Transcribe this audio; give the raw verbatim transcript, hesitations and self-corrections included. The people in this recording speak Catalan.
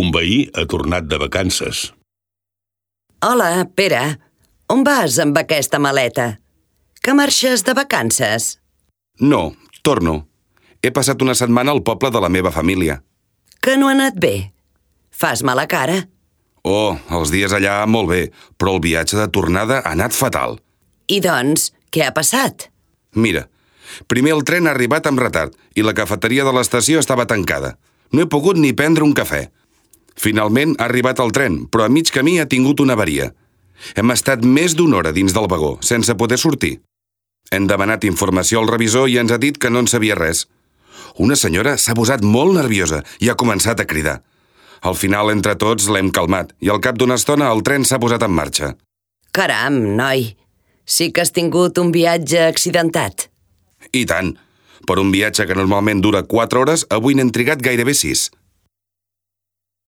Un veí ha tornat de vacances. Hola, Pere. On vas amb aquesta maleta? Que marxes de vacances? No, torno. He passat una setmana al poble de la meva família. Que no ha anat bé? Fas mala cara? Oh, els dies allà molt bé, però el viatge de tornada ha anat fatal. I doncs, què ha passat? Mira, primer el tren ha arribat amb retard i la cafeteria de l'estació estava tancada. No he pogut ni prendre un cafè. Finalment ha arribat el tren, però a mig camí ha tingut una avaria. Hem estat més d'una hora dins del vagó, sense poder sortir. Hem demanat informació al revisor i ens ha dit que no en sabia res. Una senyora s'ha posat molt nerviosa i ha començat a cridar. Al final, entre tots, l'hem calmat i al cap d'una estona el tren s'ha posat en marxa. Caram, noi, sí que has tingut un viatge accidentat. I tant. Per un viatge que normalment dura quatre hores, avui n'hem trigat gairebé sis.